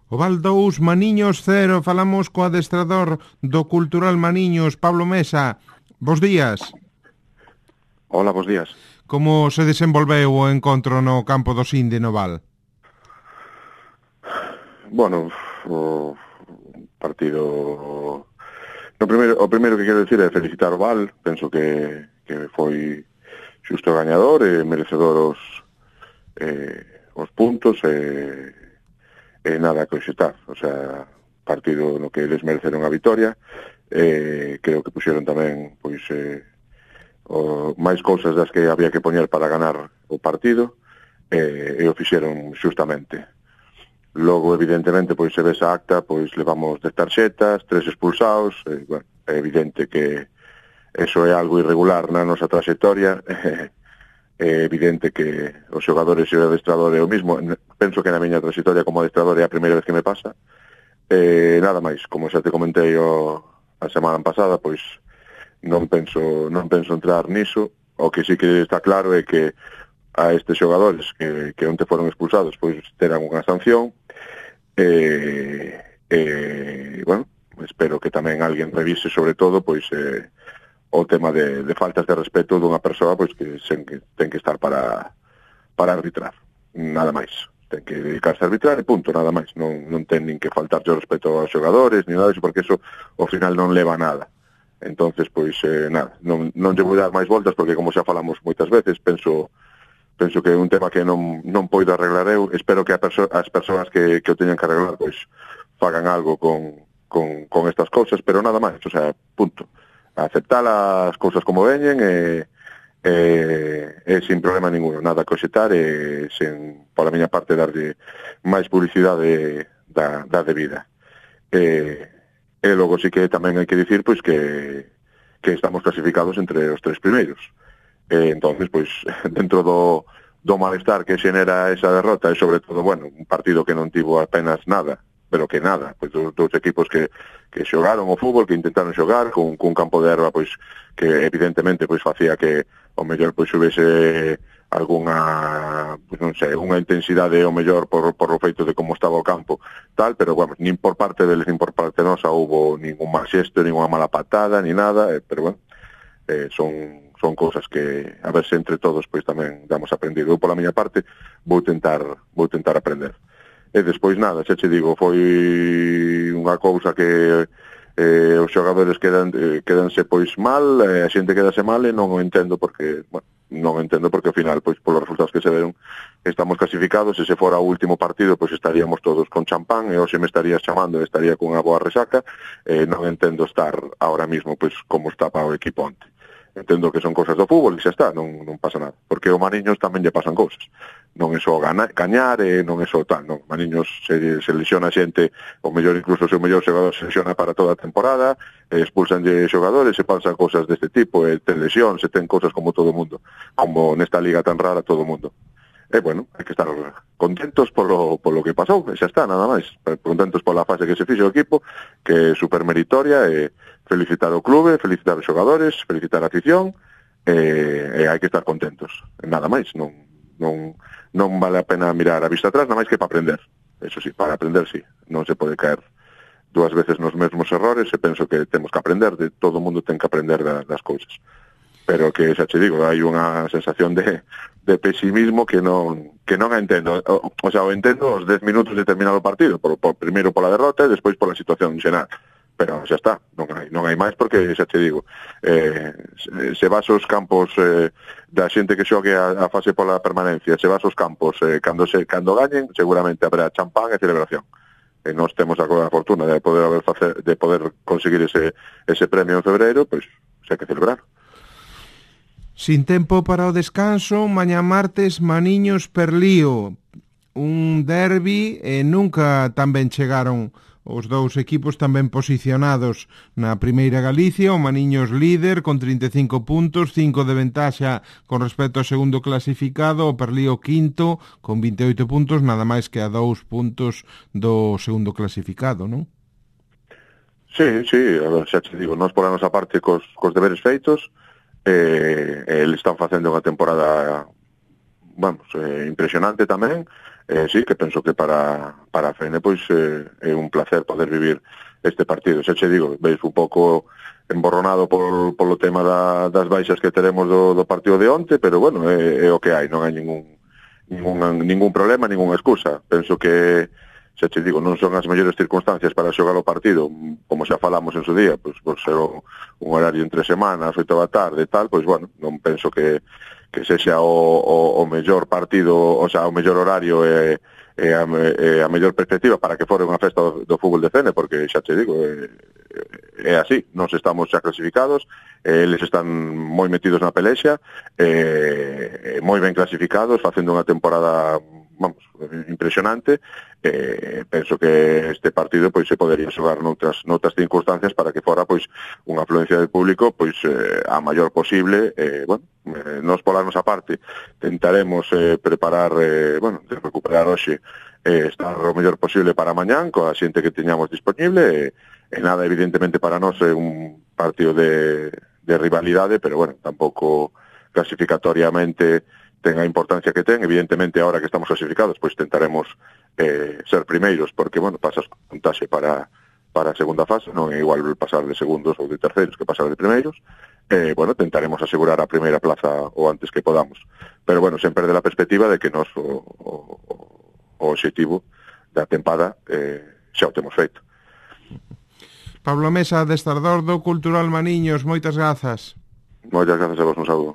Oval 2, Maniños 0. Falamos co adestrador do Cultural Maniños, Pablo Mesa. Bos días. Hola, bos días. Como se desenvolveu o encontro no campo do Sinde no Val? Bueno, o partido... O primeiro que quero dicir é felicitar o Val. Penso que foi xusto gañador e merecedor os puntos e nada a coxetar. O sea, partido no que eles mereceron a vitoria. Creo que puxeron tamén pois máis cousas das que había que poñer para ganar o partido e o fixeron xustamente. Logo, evidentemente, pois se ves a acta, pois levamos 10 tarxetas, 3 expulsados, bueno, é evidente que eso é algo irregular na nosa trayectoria. É evidente que os xogadores e o adestrador é o mismo. Penso que na miña trayectoria como adestrador é a primeira vez que me pasa. Nada máis, como xa te comentei a semana pasada, pois non penso entrar niso. O que sí que está claro é que a estes xogadores que onte foron expulsados pois terán unha sanción. Bueno, espero que tamén alguén revise sobre todo pois o tema de faltas de respeto dunha persoa pois que ten que estar para arbitrar, nada máis. Ten que dedicarse a arbitrar e punto, nada máis. Non ten nin que faltarlle o respeto aos xogadores, ni nada disso, porque eso ao final non leva nada. Entonces, pois, nada, non lle vou dar máis voltas, porque como xa falamos moitas veces, penso que é un tema que non poido arreglar eu. Espero que as persoas que o teñan que arreglar, pois, fagan algo con estas cousas, pero nada máis, o sea, punto. Aceptar as cousas como veñen e sin problema ninguno, nada a coxetar e sen, pola miña parte, darlle máis publicidade da debida. E logo sí que tamén hai que dicir pois que estamos clasificados entre os 3 primeiros. Entonces, pois, dentro do malestar que xenera esa derrota e sobre todo, bueno, un partido que non tivo apenas nada, pero que nada, pois dos equipos que xogaron o fútbol, que intentaron xogar cun campo de erva, pois que evidentemente pois facía que o mellor pois houvese algunha, pois non sei, unha intensidade o mellor por o feito de como estaba o campo, tal, pero bueno, nin por parte deles nin por parte nosa houbo ningún mal xesto, ninguna mala patada, ni nada, pero bueno, son cousas que a ver se entre todos pois tamén damos aprendido. Eu pola miña parte vou tentar aprender. E despois nada, xa che digo, foi unha cousa que os xogadores quedanse pois mal, a xente quedase mal e non o entendo porque, bueno, ao final, pois polos resultados que se deron, estamos clasificados e se fora o último partido, pois estaríamos todos con champán e hoxe me estarías chamando e estaría cunha boa resaca. Non entendo estar ahora mismo pois como estaba o equipo onte. Entendo que son cousas do fútbol e xa está, non pasa nada. Porque o Maniños tamén lle pasan cousas. Non é só gañar e non é só tal, non. Maniños se lesiona xente, o mellor incluso o seu mellor xogador se lesiona para toda a temporada, expulsan de xogadores, se pasan cousas deste tipo, ten lesión, se ten cousas como todo o mundo. Como nesta liga tan rara todo o mundo. E, bueno, hai que estar contentos polo que pasou, e xa está, nada máis. Contentos pola fase que se fixo o equipo, que é supermeritoria, e felicitar o clube, felicitar os xogadores, felicitar a afición, e hai que estar contentos. Nada máis, non vale a pena mirar a vista atrás, nada máis que para aprender. Eso sí, para aprender, sí. Non se pode caer dúas veces nos mesmos errores, e penso que temos que aprender, todo o mundo ten que aprender das cousas. Pero que, xa che digo, hai unha sensación de pesimismo que non a entendo. O sea, o entendo os 10 minutos de terminar o partido, primeiro pola derrota e despois pola situación xeral. Pero xa está, non hai máis porque, xa che digo, se vas aos campos da xente que xogue a fase pola permanencia, se vas aos campos cando gañen, seguramente habrá champán e celebración. E nós temos a fortuna de poder conseguir ese premio en febreiro, pois xa que celebrar. Sin tempo para o descanso, mañá martes, Maniños Perlío, un derbi e nunca tan ben chegaron os dous equipos tan ben posicionados na Primeira Galicia, o Maniños líder con 35 puntos, 5 de ventaxa con respecto ao segundo clasificado, o Perlío quinto con 28 puntos, nada máis que a 2 puntos do segundo clasificado, non? Sí, a ver, xa te digo, nós por a nosa parte cos deberes feitos, eles están facendo unha temporada, vamos, impresionante tamén, sí, que penso que para a Fene pois é un placer poder vivir este partido. Xa che digo, veis un pouco emborronado polo tema das baixas que teremos do partido de onte, pero bueno, é o que hai, non hai ningún problema, ninguna excusa. Penso que, xa che digo, non son as mellores circunstancias para xogar o partido, como xa falamos en su día, pois por ser un horario entre semanas, 8 da tarde e tal, pois bueno, non penso que sexa o mellor partido, o sea, o mellor horario e a mellor perspectiva para que fore unha festa do fútbol de Fene, porque xa te digo, é así, nós estamos xa clasificados, eles están moi metidos na pelexa, moi ben clasificados, facendo unha temporada, vamos, impresionante. Penso que este partido pois se podería xogar noutras circunstancias para que fora pois unha afluencia de público pois a maior posible. Bueno, nós pola nosa parte tentaremos preparar, bueno, de recuperar hoxe, estar o mellor posible para mañán coa xente que teñamos disponible, e nada, evidentemente para nós é un partido de rivalidade, pero bueno, tampouco clasificatoriamente ten a importancia que ten. Evidentemente, ahora que estamos clasificados, pois tentaremos ser primeiros, porque, bueno, pasas con puntaxe para a segunda fase, non é igual pasar de segundos ou de terceiros que pasar de primeiros. Bueno, tentaremos asegurar a primeira plaza o antes que podamos. Pero, bueno, sen perder a perspectiva de que nos o obxectivo da tempada xa o temos feito. Pablo Mesa, adestrador do Cultural Maniños, moitas grazas. Moitas grazas a vos, un saúdo.